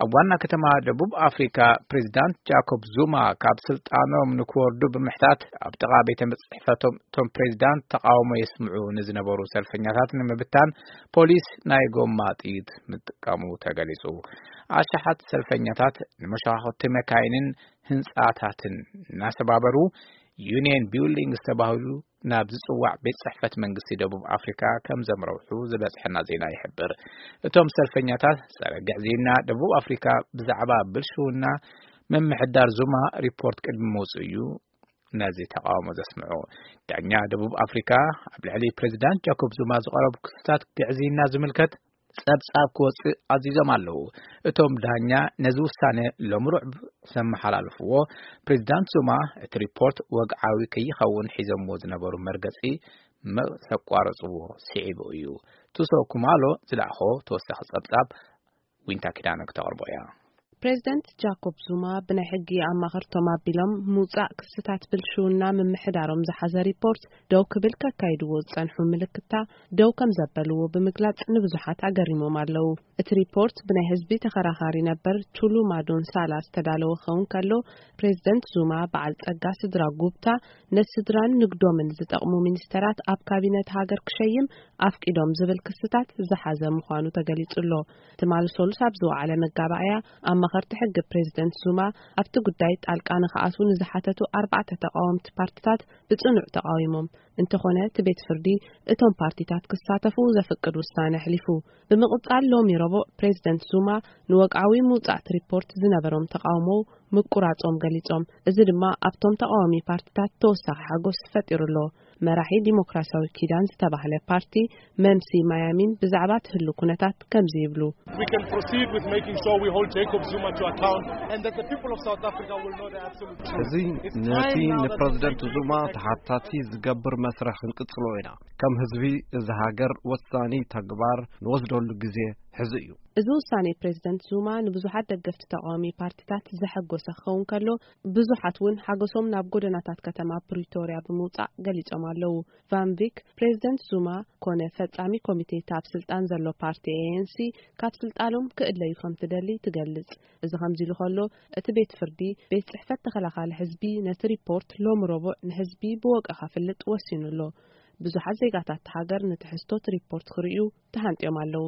ኣብ ዋና ከተማ ደቡብ ኣፍሪካ ፕሬዚዳንት ጃኮብ ዙማ ካብ ስልጣኖም ንክወርዱ ብምሕታት ኣብ ጥቓ ቤተ ጽሕፈቶም እቶም ፕሬዚዳንት ተቃውሞ የስምዑ ንዝነበሩ ሰልፈኛታት ንምብታን ፖሊስ ናይ ጎማ ጥይት ምጥቃሙ ተገሊጹ። ኣሽሓት ሰልፈኛታት ንመሻኮቲ መካይንን ህንጻታትን እናሰባበሩ ዩኒየን ቢልዲንግ ዝተባህሉ ናብ ዝጽዋዕ ቤት ጽሕፈት መንግስቲ ደቡብ ኣፍሪካ ከም ዘምረውሑ ዝበጽሐና ዜና ይሕብር። እቶም ሰልፈኛታት ጸረ ግዕዝይና ደቡብ ኣፍሪካ ብዛዕባ ብልሽውና ምምሕዳር ዙማ ሪፖርት ቅድሚ ምውጽኡ እዩ ነዚ ተቃውሞ ዘስምዑ። ዳኛ ደቡብ ኣፍሪካ ኣብ ልዕሊ ፕሬዚዳንት ጃኮብ ዙማ ዝቐረቡ ክስታት ግዕዝይና ዝምልከት ጸብጻብ ክወጽእ ኣዚዞም ኣለዉ። እቶም ዳኛ ነዚ ውሳነ ሎም ሩዕብ ዘመሓላልፍዎ፣ ፕሬዚዳንት ዙማ እቲ ሪፖርት ወግዓዊ ከይኸውን ሒዘምዎ ዝነበሩ መርገጺ ምስ ኣቋረጽዎ ስዒቡ እዩ። ቱሶ ኩማሎ ዝለኣኾ ተወሳኺ ጸብጻብ ዊንታ ኪዳነ ክተቕርቦ እያ። ፕሬዚደንት ጃኮብ ዙማ ብናይ ሕጊ ኣማኸርቶም ኣቢሎም ምውጻእ ክስታት ብልሽውና ምምሕዳሮም ዝሓዘ ሪፖርት ደው ክብል ከካይድዎ ዝጸንሑ ምልክታ ደው ከም ዘበልዎ ብምግላጽ ንብዙሓት ኣገሪሞም ኣለዉ። እቲ ሪፖርት ብናይ ህዝቢ ተኸራኻሪ ነበር ቹሉማ ዶንሳላ ዝተዳለወ ክኸውን ከሎ፣ ፕሬዚደንት ዙማ በዓል ጸጋ ስድራ ጉብታ ነስድራን ንግዶምን ዝጠቕሙ ሚኒስተራት ኣብ ካቢነት ሃገር ክሸይም ኣፍቂዶም ዝብል ክስታት ዝሓዘ ምዃኑ ተገሊጹ ኣሎ። ትማሊ ሰሉስ ኣብ ዝወዓለ መጋባእያ ኣማኸርቲ ሕጊ ፕሬዚደንት ዙማ ኣብቲ ጉዳይ ጣልቃ ንኽኣትዉ ንዝሓተቱ ኣርባዕተ ተቃወምቲ ፓርትታት ብጽኑዕ ተቃዊሞም። እንተኾነ እቲ ቤት ፍርዲ እቶም ፓርቲታት ክሳተፉ ዘፍቅድ ውሳነ ኣሕሊፉ። ብምቕጻል ሎሚ ረቡዕ ፕሬዚደንት ዙማ ንወግዓዊ ምውጻእቲ ሪፖርት ዝነበሮም ተቃውሞ ምቁራጾም ገሊጾም። እዚ ድማ ኣብቶም ተቃዋሚ ፓርቲታት ተወሳኺ ሓጎስ ፈጢሩ ኣሎ። መራሒ ዲሞክራሲያዊ ኪዳን ዝተባህለ ፓርቲ መምሲ ማያሚን ብዛዕባ ትህሉ ኩነታት ከምዚ ይብሉ። We can proceed with making sure we hold Jacob Zuma to account and that the people of South Africa will know the absolute truth. እዚ It's ነቲ time now that ንፕረዚደንት we ዙማ ተሓታቲ ዝገብር መስርሕ ክንቅጽሎ ኢና። ከም ህዝቢ እዚ ሃገር ወሳኒ ተግባር ንወስደሉ ግዜ ሕዚ እዩ። እዚ ውሳኔ ፕሬዚደንት ዙማ ንብዙሓት ደገፍቲ ተቃዋሚ ፓርቲታት ዘሐጎሰ ክኸውን ከሎ፣ ብዙሓት እውን ሓጎሶም ናብ ጎደናታት ከተማ ፕሪቶርያ ብምውጻእ ገሊጾም ኣለዉ። ቫን ቪክ ፕሬዚደንት ዙማ ኮነ ፈጻሚ ኮሚቴ ካብ ስልጣን ዘሎ ፓርቲ ኤ ኤን ሲ ካብ ስልጣኖም ክእለዩ ከም ትደሊ ትገልጽ። እዚ ከምዚ ኢሉ ከሎ፣ እቲ ቤት ፍርዲ ቤት ጽሕፈት ተኸላኻሊ ህዝቢ ነቲ ሪፖርት ሎም ረቡዕ ንህዝቢ ብወቀ ከፍልጥ ወሲኑ ኣሎ። ብዙሓት ዜጋታት ሃገር ንትሕዝቶት ሪፖርት ክርእዩ ተሃንጥዮም ኣለዉ።